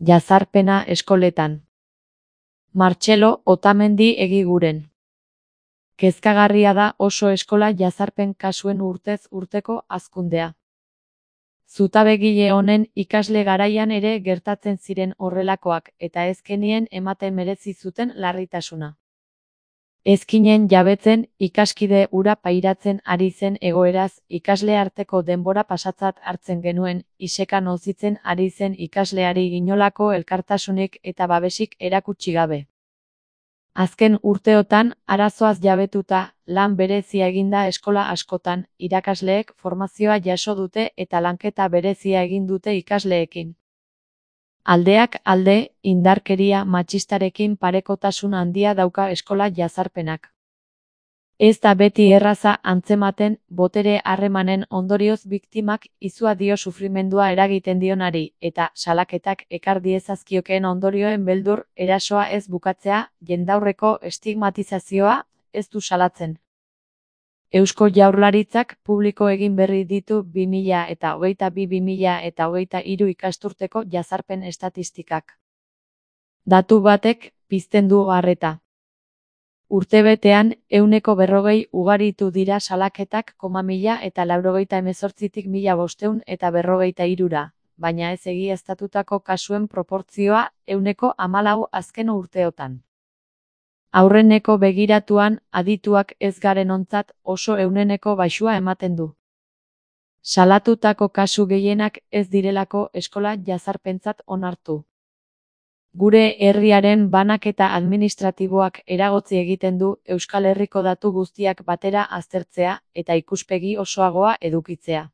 Jazarpena eskoletan. Martxelo Otamendi Egiguren. Kezkagarria da oso eskola jazarpen kasuen urtez urteko hazkundea. Zutabegile honen ikasle garaian ere gertatzen ziren horrelakoak eta ezkenien ematen merezi zuten larritasuna. Ezkinen jabetzen ikaskide hura pairatzen ari zen egoeraz ikasle arteko denbora pasatzat hartzen genuen, iseka nozitzen ari zen ikasleari inolako elkartasunik eta babesik erakutsi gabe. Azken urteotan, arazoaz jabetuta, lan berezia eginda eskola askotan, irakasleek formazioa jaso dute eta lanketa berezia egin dute ikasleekin. Aldeak alde, indarkeria matxistarekin parekotasun handia dauka eskola jazarpenak. Ez da beti erraza antzematen, botere harremanen ondorioz biktimak izua dio sufrimendua eragiten dionari, eta salaketak ekar diezazkiokeen ondorioen beldur erasoa ez bukatzea, jendaurreko estigmatizazioa, ez du salatzen. Eusko Jaurlaritzak publiko egin berri ditu 2022-2023 ikasturteko jazarpen estatistikak. Datu batek pizten du harreta. Urtebetean, 140 ugaritu dira salaketak 1.088tik 1.543ra, baina ez egiaztatutako kasuen proportzioa 14% azken urteotan. Aurreneko begiratuan, adituak ez garenontzat oso euneneko baxua ematen du. Salatutako kasu gehienak ez direlako eskola jazarpentzat onartu. Gure herriaren banaketa administratiboak eragotzi egiten du Euskal Herriko datu guztiak batera aztertzea eta ikuspegi osoagoa edukitzea.